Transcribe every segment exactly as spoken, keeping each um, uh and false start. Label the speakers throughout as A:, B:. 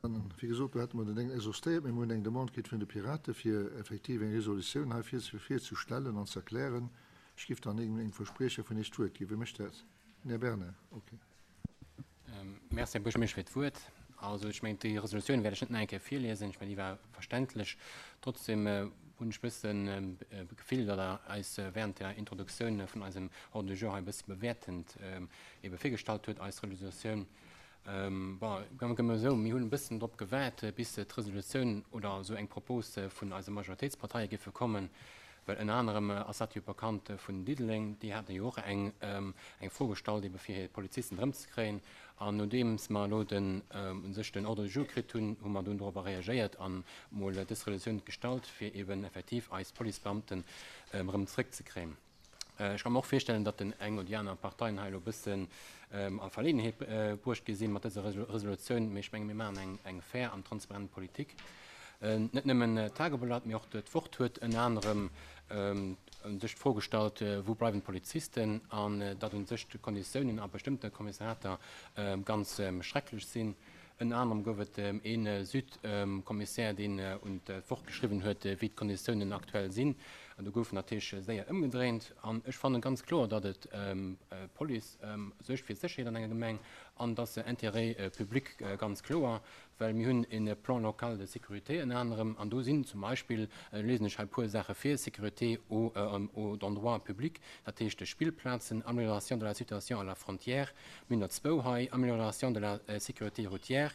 A: Wéi gesot, do hätte mer den Déngen exhaustéiert. Mir hunn eng Demande kritt vun de Pirate fir effektiv eng Resolutioun hei virzestellen an ze erklären. Ech géif dann engem Verspriecher vun Iech d'Wuert ginn. Wie mécht dat? Den Här Bernard. Okay.
B: Merci, Här Buergermeeschter, fir d'Wuert. Also ech mengen, déi Resolutioun wäert ech net nach eng Kéier virliesen. Ech mengen, déi war verständlech. Trotzdem hunn ech e bëssen d'Gefill, datt Der eis während der Introduktioun vun eisem Ordre du jour hei e bësse bewäertend ebe virgestallt huet, eis Resolutioun. Bon, gëmme mer esou, mir hunn e bëssen drop gewaart, bis d'Resolutioun oder esou eng Propos vun eise Majoritéitsparteie géife kommen, well ënner anerem ass dat jo bekannt vun Diddeleng, déi haten jo och eng eng Fro gestallt ebe fir hir Polizisten erëmzekréien. An nodeems mer elo den u sech den Ordre du jour kritt hunn, hu mer dunn dorobber reagéiert an mol dës Resolutioun gestallt, fir eben effektiv eis Policebeamten erëm zrëckzekréien. Ech ka mer och virstellen, datt den eng oder déi aner Parteien hei elo e bëssen a Verleeënheet bruecht gi sinn mat dëser Resolutioun, mee ech menge mir maachen eng eng fair an transparent Politik. Net nëmmen d'Tageblatt, mee och d'Wort huet ënner anerem u sech d'Fro gestallt, wou bleiwen d'Polizisten, an datt u sech d'Konditiounen a bestëmmte Kommissariater ganz schrecklech sinn. Ënner anerem gouf et ee Süd-Kommissär, deen un d'Wort geschriwwen huet, wéi d'Konditiounen aktuell sinn. An do gouf natierlech séier ëmgedréint. An ech fanne ganz kloer, datt et d'Police suergt fir d'Sécherheet an enger Gemeng an datt se Intérêt public ganz kloer, well mir hunn e Plan local de sécurité ënner anerem an do sinn zum Beispill, liesen ech hei e puer Saache vir, Sécurité aux endroits publics, dat heescht Spillplazen, Amélioration de la situation à la frontière, mir hunn der zwou hei, Amélioration de la sécurité routière,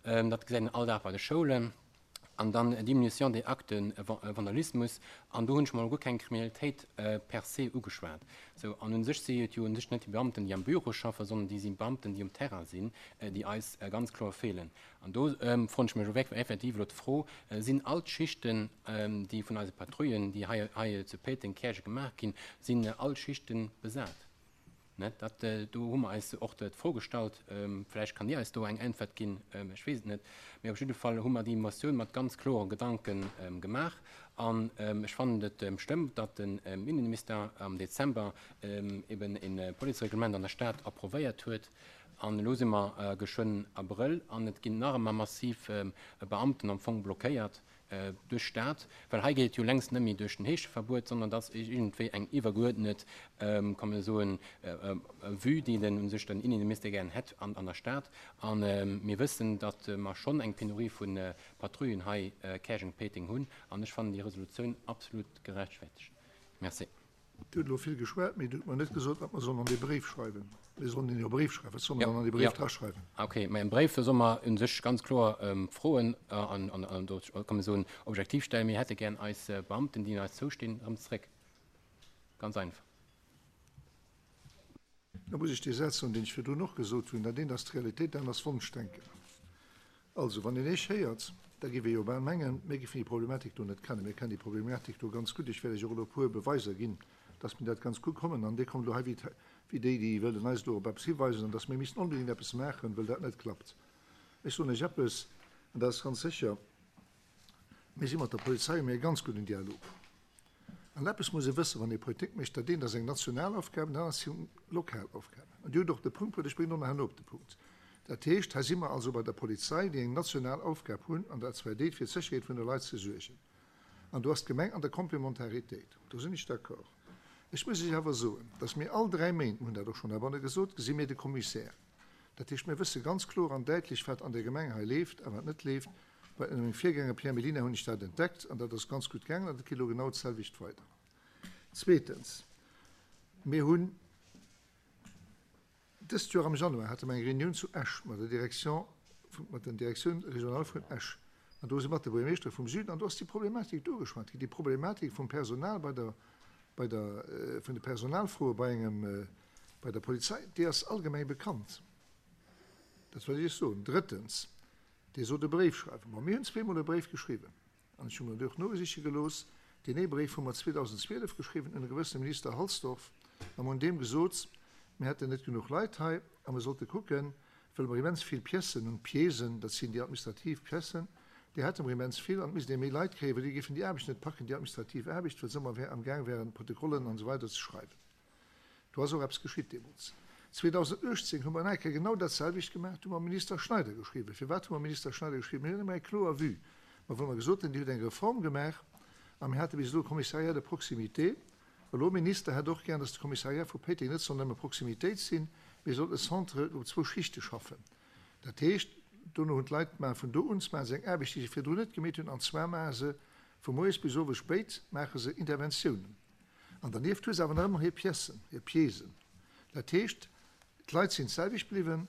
B: dat gesäit een all Dag bei de Schoulen, an dann Diminution des actes de vandalismus, an do hunn ech mol guer keng Kriminalitéit per se ugeschwat. Sou, an u sech si et jo u sech net déi Beamten, déi am Büro schaffen, sondern déi si Beamten, déi um Terrain sinn, déi eis ganz kloer feelen. An do froen ech mech och effektiv elo d'Fro, Sinn all d'Schichten, déi vun eise Patrouillen, déi hei hei zu Péiteng, Käerjeng gemaach ginn, sinn all Schichte besat? Ne, dat, do hu mer eis och d'Fro gestallt. Vläicht kann Dir eis do eng Äntwert ginn, ech weess et net. Mee op jidde Fall hu mer déi Motioun mat ganz klore Gedanke gemaach. An ech fannen et schlëmm, datt den Innenminister am Dezember eben e Policereglement an der Stad approvéiert huet. An elo si mer geschwënn Abrëll an et ginn nach ëmmer massiv Beamten am Fong blockéiert duerch d'Stad, well hei geet et jo längst net méi duerch den Heescheverbuet, sondern dass iergendwéi eng iwwergeuerdnet, kann man soen, Vue, déi den u sech den Innenminister gären hätt an an der Stad. A mir wëssen, datt mer schonn eng Penurie vu Patrouillen hei Käerjeng-Péiteng hunn an ech fannen déi Resolutioun absolut gerechtfertegt. Merci.
A: Dir hutt elo vill geschwat, mee Dir hutt mer net gesot, wat mer sollen an dee Bréif schreiwen. Mir sollen deen jo e Bréif schreiwen. Wat solle mer dann an dee Bréif draschreiwen?
B: Ok, mä am Bréif solle mer u sech ganz kloer Froen an do kann ee soen, objektiv stellen. Mir hätte gären eis Beamten, déi eis zoustinn, erëm zréck. Ganz einfach.
A: Da muss ech dee Saz soen, deen ech virdrun och gesot hunn, Dat eent ass d'Realitéit, dat anert ass Wonschdenken. Also, wann een Iech héiert, da géif ee jo bal mengen, mir géifen déi Problematik do net kennen. Mir kennen déi Problematik do ganz gutt. Ech wäert Iech och elo e puer Beweiser ginn, dass mir dat ganz gutt kommen. An Dir kommt elo hei wéi déi, déi wëllen eis elo op eppes hiweisen, an dass mir missten onbedéngt eppes maachen, wëll dat net klappt. Ech soen Iech eppes, an dat ass ganz sécher, Mir si mat der Polizei, hu mir e ganz gudden Dialog. An eppes muss ee wëssen, wann ee Politik mécht, Dat eent ass eng national Aufgab an dat anert si lokal Aufgaben. An Dir hutt och de Punkt bruet, ech bréngen och nach herno op de Punkt. Dat heescht, hei si mer also bei der Polizei, déi eng national Aufgab hunn, an dat zwar déi, fir d'Sécherheet vun de Leit ze suergen. An do ass d'Gemeng an der Komplementaritéit. Do sinn ech d'accord. Ech muss Iech awer soen, dass mir all dräi Méint, mir hunn dat och schonn heibanne gesot, gesi mir de Commissaire. Dat heescht, mir wësse ganz kloer an däitlech, wat an där Gemeng hei leeft a wat net leeft. Bei mengem Virgänger Pierre Mellina hunn ech dat entdeckt an dat ass ganz gutt gaangen an dat geet elo genau d'selwecht weider. Zweetens, mir hunn dëst Joer am Januar hate mer eng Reunioun zu Esch mat der Direction, mat den Directioun régionale vun Esch an do si mat de Buergermeeschtere vum Süden an do ass déi Problematik do ugeschwat ginn, déi Problematik vum Personal bei der, bei der, vun de Personalfroe bei engem, bei der Polizei, déi ass allgemeng bekannt. Dat wëll ech Iech soen. Drëttens, Dir sot e Bréif schreiwen. Bon, mir hunn zweemol e Bréif geschriwwen an ech hu mer och nogesiche gelooss. Deen ee Bréif hu mer zweedausendzwielef geschriwwen un e gewëssene Minister Halsdorf a mer hunn deem gesot, mir hätten net genuch Leit hei a mer sollte kucken, wëll mer immens vill Piècen hunn, Piècen, dat sinn déi administrativ Piècen, déi hätte mer immens vill an et misst ee méi Leit kréien, well déi géifen déi Aarbecht net packen, déi administrativ Aarbecht, well se ëmmer amgaang wären, Protokollen an esou weider ze schreiwen. Do ass och eppes geschitt deemools. zweedausenduechtzéng hu mer nach eng Kéier genau dat selwecht gemaach, do hu mer Minister Schneider geschriwwen. Firwat hu mer Minister Schneider geschriwwen? Mir hunn ëmmer eng kloer Vue. Mä wou mer gesot hunn, Dir hutt eng Reform gemaach a mir hate bis elo e Commissariat de proximité. Elo, Minister hätt och gär, dass de Commissariat vu Péiteng net soll nëmme Proximitéit sinn, mee soll e Centre op zwou Schichte schaffen. Dat heescht, dono hunn d'Leit maache vun do un maache se eng Aarbecht, déi se virdrun net gemeet hunn, an zwar maache se vu moies bis owes spéit maache se Interventiounen. An dernieft hu se awer nach ëmmer hir Piècen, hir Piècen. Dat heescht, d'Leit sinn d'selwecht bliwwen,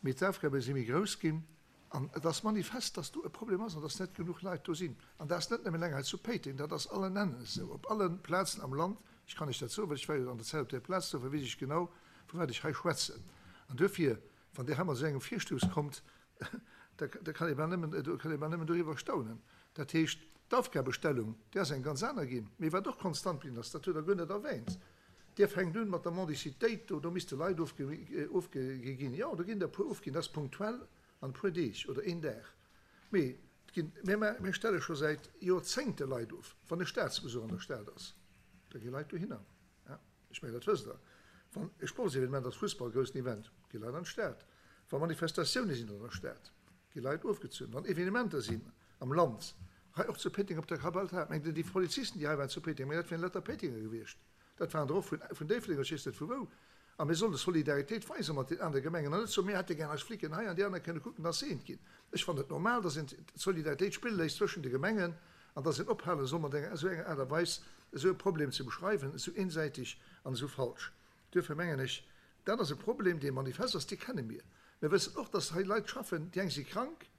A: mee d'Aufgabe si méi grouss ginn. An et ass manifest, dass do e Problem ass an dass net genuch Leit do sinn. An dat ass net nëmmen eleng hei zu Péiteng, dat ass allen Ennen esou, op alle Plazen am Land. Ech kann lech dat soen, well ech war jo an der Zäit op där Plaz, dofir weess ech genau, vu wat ech hei schwätzen. An duerfir, wann Dir hei mat esou engem Virstouss kommt, da kann ee bal nëmmen, do kann ee bal nëmmen doriwwer staunen. Dat heescht, d'Aufgabestellung, déi ass eng ganz aner ginn. Mee wat och konstant bliwwen ass, dat hutt Der guer net erwähnt, Dir fänkt un mat der Mendicitéit do, do misste Leit ofgi ginn. Jo, do ginn der e puer ofginn, dat ass punktuell an e puer Deeg oder een Dag. Mee et ginn, mir, mir stelle scho säit Joerzéngte Leit of, wann e Staatsbesuch an der Stad ass, da gi Leit dohinner. Ja, ech mengen, dat wësst Der. Wann e Sportsevenement ass, Fussball, groussen Event, gi Leit an d'Stad. Wa Manifestatioune sinn an der Stad, gi Leit ofgezunn. Wann Evenementer sinn am Land, hei och zu Péiteng op der Kapell, mengt Der, déi Polizisten, déi hei waren zu Péiteng, mengt Der, dat wieren lauter Péitenger gewiescht? Dat waren der och vun Déifferdeng oder ech weess net vu wou. A mir solle Solidaritéit weise mat den anere Gemengen an net soen, mir hätte gär eis Flicken hei an déi aner kënne kucken, dass se eent ginn. Ech fannen et normal, dass een d'Solidaritéit spille léisst zwëschen de Gemengen an dass een ophale soll mat enger esou enger Aart a Weis esou e Problem ze beschreiwen, esou eensäiteg an esou falsch. Duerfir mengen ech, dat ass e Problem, dee manifest ass, dee kenne mir. Mir wëssen och, dass hei Leit schaffen, déi eng si krank,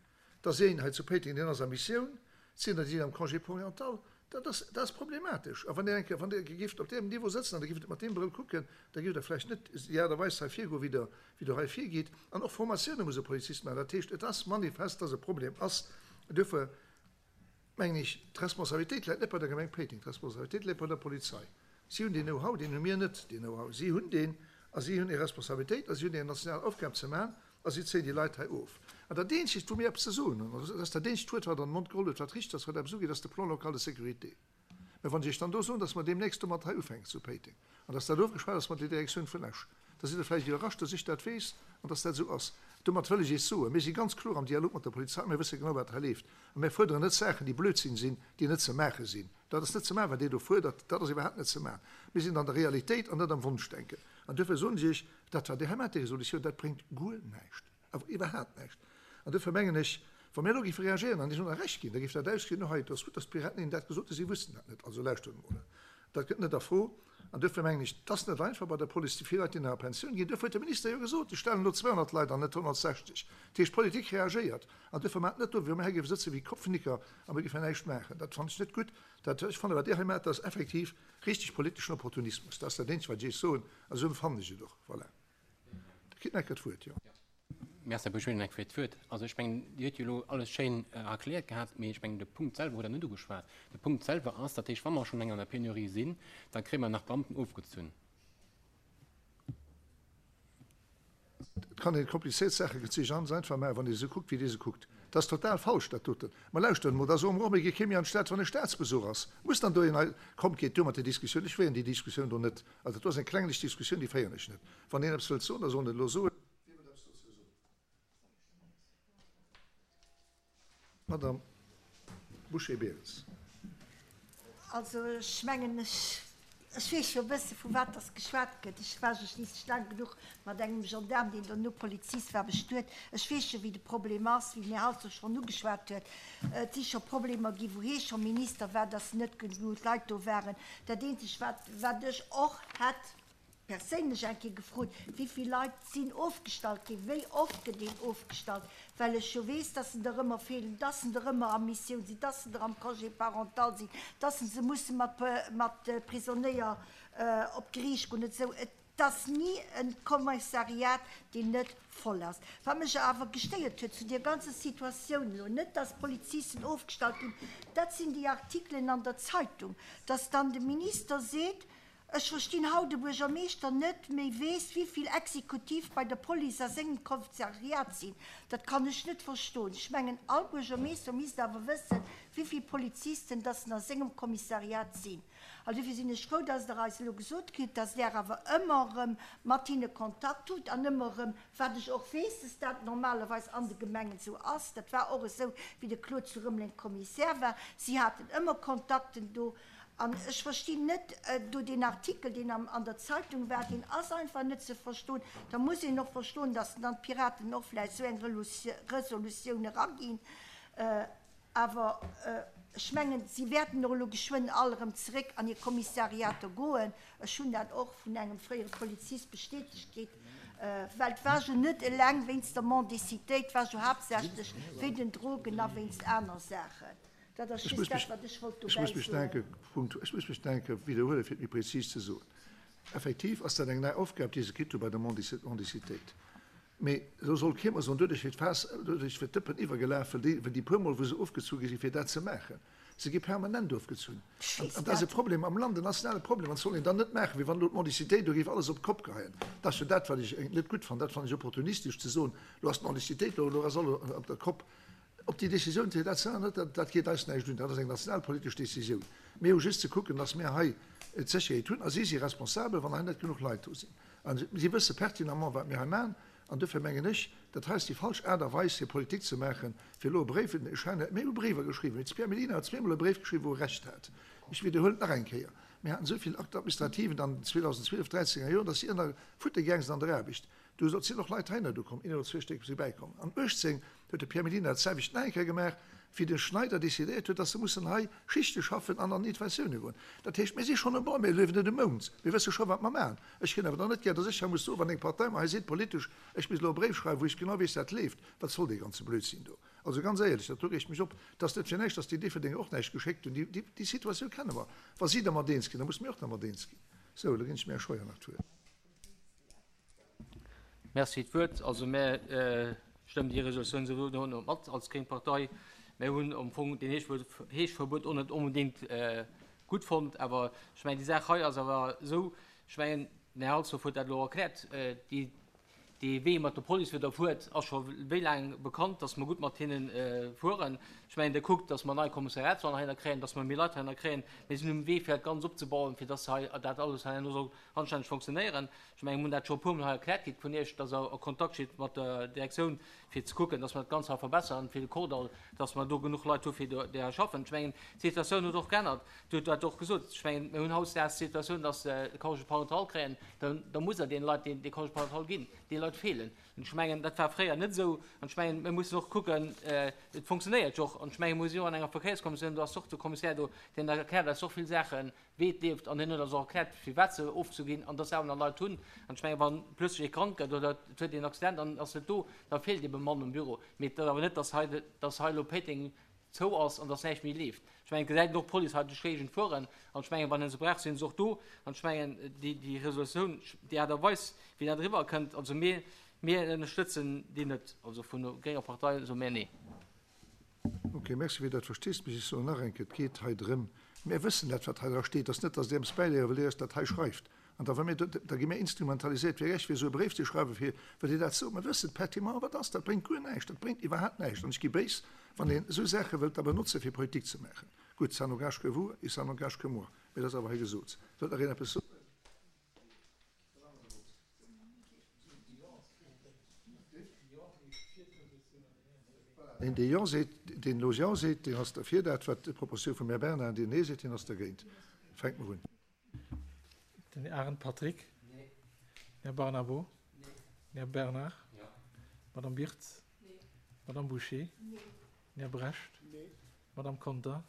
A: da ass een hei zu Péiteng, deen ass a Missioun, et sinn der, déi sinn am Congé parental. Dat ass, dat ass problematesch. A wann Dir eng Kéier, wann Dir géift op deem Niveau sëtzen an Dir géift et mat deem Brëll kucken, da géift Der vläicht net déi Aart a Weis hei virgoen, wéi Der, wéi Der hei virgitt. An och Formatioune muss e Polizist maachen. Dat heescht, et ass manifest, dass e Problem ass. Duerfir mengen ech, d'Responsabilitéit läit net bei der Gemeng Péiteng, d'Responsabilitéit läit bei der Polizei. Si hunn deen Know-how, deen hu mir net, deen Know-how. Si hunn deen a si hunn hir Responsabilitéit a si hunn hir national Aufgab ze maachen a si zéien déi Leit hei of. An dat eenzegt, wou mir eppes ze soen hunn, an dat ass dat eenzegt Wuert, wat an den Mond geholl huet, wat richteg ass, wat eppes ugeet, ass de Plan local de sécurité. Mä wann ech Iech dann do soen, dass mer deemnächst domat hei ufänken zu Péiteng an dass dat ofgeschwat ass mat der Direktioun vun Esch, da sidd Der vläicht iwwerrascht, dass ech dat weess an dass dat esou ass. Domat wëll ech Iech soen, Mir si ganz kloer am Dialog mat der Polizei, mir wësse genau, wat hei leeft. A mir fuerderen net Saachen, déi Blödsinn sinn, déi net ze maache sinn. Dat ass net ze maachen, wat Dir do fuerdert, dat ass iwwerhaapt net ze maachen. Mir sinn an der Realitéit an net am Wonschdenken. An duerfir soen ech Iech, dat, wat Dir hei maacht, déi Resolutioun, dat bréngt guer näischt, awer iwwerhaapt näischt. An duerfir mengen ech, wa mir elo géife reagéieren an Iech elo nach Recht ginn, da géif dat ausgesinn, oh hei, et ass gutt, dass d'Piraten hinnen dat gesot hunn, si wussten dat net. Also lauschtert emol, dat gëtt net a Fro. An duerfir mengen ech, et ass net einfach bei der Police, déi vill Leit, déi nach a Pensioun ginn. Duerfir huet de Minister jo gesot, ech stellen elo zweehonnert Leit an, net honnertsechzeg. Dat heescht, d'Politik reagéiert. An duerfir maacht net do, wéi wa mir hei géife sëtze wéi Kopfnicker a mir géifen näischt maachen. Dat fannen ech net gutt. Dat, ech fannen, wat Dir hei maacht, dat ass effektiv richteg politeschen Opportunismus. Dat ass dat eenzegt, wat ech Iech soen. A sou empfannen ech et och. Voilà. Dir kritt nach eng Kéier d'Wuert, jo.
B: Merci, Här Busch-Willen, fir d'Wuert. Also ech mengen, Dir hutt jo elo alles schéin erkläert gehat, mee ech mengen, de Punkt selwer hutt Der net ugeschwat. De Punkt selwer ass, dat heescht, wa mer schonn eng an der Penurie sinn, da kréie mer nach Beamten ofgezunn.
A: Et kann een komplizéiert Saache ganz einfach maachen, wann ee se kuckt, wéi Dir se kuckt. Dat ass total falsch, dat doten. Ma lauschtert emol, da soe mer och, mir gi kee méi an d'Stad, wann e Staatsbesuch ass. Muss dann do een hei, kommt, geet duer mat där Diskussioun. Ech féieren déi Diskussioun do net. Also dat do ass eng klenglech Diskussioun, déi féieren ech net. Wann een eppes wëllt soen, da soll en et elo soen. Wien huet eppes dozou ze soen? Madame Bouché-Behrens.
C: Also ech mengen, ech, ech weess jo e bësse vu wat dass geschwat gëtt. Ech war jo schliisslech laang genuch mat engem Gendaarm, deen dono Polizist war, bestuet. Ech weess jo, wéi de Problem ass, wéi den Här Halsdorf schonn ugeschwat huet. Et si scho Problemer ginn, wou hie scho Minister war, dass net genuch Leit do waren. Dat Eenzegt, wat, wat ech och hätt perséinlech eng Kéier gefrot, wéi vill Leit sinn ofgestallt ginn, wéi oft gëtt een ofgestallt, well ech jo weess, dass en der ëmmer feelen, dass en der ëmmer a Missioun sinn, dass en der am Congé parental sinn, dass se musse mat mat Prisonéier op d'Geriicht goen et esou. Et ass ni e Kommissariat, deen net voll ass. Wat mech awer gestéiert huet zu deer ganzer Situatioun elo, net dass Polizisten ofgestallt ginn, dat sinn déi Artikelen an der Zeitung, dass dann de Minister seet, Ech verstinn haut de Buergermeeschter net méi weess, wéi vill Exekutiv bei der Police a sengem Kommissariat sinn. Dat kann ech net verstoen. Ech mengen, all Buergermeeschter misst awer wëssen, wéi vill Polizisten dass a sengem Kommissariat sinn. Also dofir sinn ech frou, dass Der eis elo gesot kritt, dass Der awer ëmmer erëm mat hinne Kontakt hutt an ëmmer erëm, wat ech och weess, dass dat normalerweis an de Gemengen esou ass, dat war och esou, wéi de Claude zu Rëmeleng Kommissär war, si haten ëmmer Kontakten do. An ech verstinn net do deen Artikel, deen am, an der Zeitung war, deen ass einfach net ze verstoen. Da muss een och verstoen, dass dann d'Piraten och vläicht esou eng Resolutioun eraginn. Awer ech mengen, si wäerten och elo geschwënn all erëm zeréck an hir Kommissariater goen. Ech hunn dat och vun engem fréiere Polizist bestätegt kritt, well et war jo net eleng wéinst der Mendicitéit, et war jo haaptsächlech wéi den Drogen a wéinst aner Saachen. Dat ass just dat, wat ech wollt
A: Ech muss
C: dobäi
A: mech
C: soen.
A: denke, Punkt, ech muss mech denke widderhuelen, fir et méi prezis ze soen. Effektiv ass dat eng nei Aufgab, déi se kritt hu bei der Mendicitéit. Mee elo soll kee mer soen, doduerch wier d'Faass, doduerch wier d'Dëppen iwwergelaf, well déi, well déi puer Mol, wou se ofgezu gi sinn, fir dat ze maachen. Se gi permanent ofgezunn.
C: Ech
A: An,
C: weess
A: an dat ass e
C: dat.
A: Problem am Land, en nationale Problem. An dat soll een dann net maachen, wéi wann elo d'Mendicitéit do géif alles op d'Kopp geheien. Dat ass jo dat, wat ech net gutt fannen. Dat fannen ech opportunistesch, ze soen, elo ass d'Mendicitéit do, elo ass alles op der Kopp. Ob déi Décisioun fir dat ze änneren, dat, dat geet eis näischt un. Dat ass eng nationalpolitesch Décisioun. Mir hu just ze kucken, dass mir hei d'Sécherheet hunn. A si si responsabel, wann hei net genuch Leit do sinn. A si wësse pertinemment, wat mir hei maachen. An dofir mengen ech, dat hei ass déi falsch Aart a Weis, fir Politik ze maachen, fir elo e Bréif, ech hat, mir hu Bréiwer geschriwwen, de Pierre Mellina huet zweemol e Bréif geschriwwen, wou e Recht hat. Ech widderhuelen et nach eng Kéier, Mir haten esou vill Actes administrativen an den zweedausendzwielef, dräizénger Joren, dass si ënner Futte gaang sinn an der Aarbecht. Do sinn och Leit heihinner do komm, een oder zwee Stéck si bäikomm. An uechtzéng huet de Pierre Mellina dat selwecht nach eng Kéier gemaach, wéi de Schneider decidéiert huet, dass se mussen hei Schichte schaffen an an Interventioune goen. Dat heescht, mir si schonn um Bord, mir liewen net um Mound, mir wësse scho wat mer maachen. Ech kréien awer dann net gär, dass ech hei muss soen, wann eng Partei mer hei seet politesch, ech misst elo e Bréif schreiwen, wou ech genau weess, dat leeft, wat soll dee ganze Blödsinn do? Also ganz éierlech, dat do reegt mech op. Et ass net fir näischt, dass déi Déifferdenger och näischt geschéckt hunn. Déi, déi Situatioun kenne mer. Wa si dermat eens ginn, da musse mir och dermat eens ginn. Sou, elo ginn ech dem Här Scheuer nach d'Wuert.
D: Merci fir d'Wuert. Also mär stëmmen déi Resolutioun souwisou net mat als gréng Partei. Mär hunn am Fong deen Heeschverbuet och net onbedéngt gutt fonnt. Awer ech mengen, déi Saach hei ass awer esou, ech mengen, den Här Halsdorf huet dat elo erkläert, déi, dee Wee mat der Police fir der fuert ass scho wéi laang bekannt, dass mer gutt mat hinne fueren. Ech mengen, Der kuckt, dass mer nei Kommissariatswahlen heihinner kréien, dass mer méi Leit heihinner kréien. Mir sinn um Wee fir dat Ganzt opzebauen, fir dass hei dat alles herno soll anstänneg fonctionnéieren. Ech mengen, mir hunn dat scho e puermol hei erkläert kritt vun Iech, dass Der a Kontakt steet mat der Direktioun, fir ze kucken, dass mer dat Ganzt hei verbessern, fir de Kordall, dass mer do genuch Leit hu fir do déi hei schaffen. Ech mengen, d'Situatioun huet och geännert. Dir hutt dat och gesot. Ech mengen, mir hunn hautdesdaags d'Situatioun, dass se de Congé parental kréien. Da, da muss Der deene Leit deen, dee Congé parental ginn. Déi Leit feelen. An ech mengen, dat war fréier net esou. An ech mengen, mir mussen och kucken, et funktionéiert jo och. An ech mengen, mir si jo an enger Verkéierskommissioun, do ass och de Kommissär do, deen erkläert eis och vill Saachen, wéi et leeft. An hien huet eis och erkläert, firwat se ofzuginn an dass se awer nach Leit hunn. An ech mengen, wa plötzlech ee krank gëtt oder et huet een Accident an ass net do, da feelt ebe Mann um Büro. Mee et ass awer net, dass hei, dass hei elo Péiteng zou ass an dass näischt méi leeft. Ech mengen, et gesäit een och d'Police hei duerch d'Géigend fueren. An ech mengen, wann een se brauch, sinn se och do. An ech mengen, déi, déi Resolutioun, déi Aart a Weis, wéi dat eriwwer kënnt, also mir, mir ënnerstëtzen déi net. Also vun der grénger Partei soe mir nee.
A: Ok, merci fir dat Versteesdemech. Ech soen nach eng Kéier, et geet hei drëm, mir wëssen dat, wat hei dra steet. Et ass net, datt Dir eppes bäiléiere wëllt, Dir eis dat hei schreift. An da, wa mir, da gi mir instrumentaliséiert, fir Iech fir esou e Bréif ze schreiwen, fir, well Dir dat sot. Mir wëssen pertinemment, wat ass. Dat bréngt guer näischt, dat bréngt iwwerhaapt näischt. An ech gi béis, wann een esou Saache wëllt da benotzen, fir Politik ze maachen. Gutt, ça n'engage que vous et ça n'engage que moi. Mee dat ass awer hei gesot. Wëllt nach een eppes soen? Deen, dee Jo seet, deen elo Jo seet, deen ass derfir, dat wat d'Propositioun vum Här Bernard, deen Nee seet, deen ass dergéint. Fänke mer un.
E: Den Arendt Patrick.
D: Nee.
E: Här Barnabo.
D: Nee.
E: Här Bernard.
D: Ja.
E: Madame Birtz.
C: Nee.
E: Madame Boucher.
C: Nee.
E: Här Brecht.
A: Nee.
E: Madame Conter.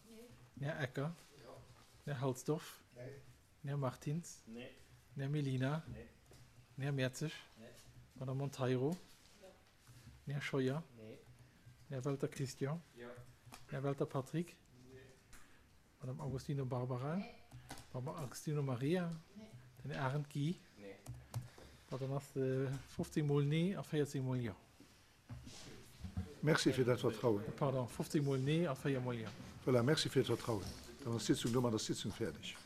C: Nee.
E: Här Ecker.
A: Ja.
E: Här Halsdorf.
A: Nee.
E: Här Martins.
D: Nee.
E: Här Mellina.
D: Nee.
E: Här Mertzig.
D: Nee.
E: Madame Monteiro.
C: Ja.
E: Här Scheuer.
D: Nee.
E: Här Welter Christian.
D: Ja.
E: Här Welter Patrick.
D: Nee.
E: Madame Agostino Barbara.
C: Nee.
E: Madame Agostino Maria.
C: Nee.
E: Den Här Arendt Guy.
D: Nee.
E: Dann ass de fofzéng mol Nee a véierzéng mol Jo.
A: Merci fir dat Vertrauen.
E: Pardon, fofzéng mol Nee a véier mol Jo.
A: Voilà, merci fir d'Vertrauen. Dann ass d'Sitzung domat ass d'Sitzung fäerdeg.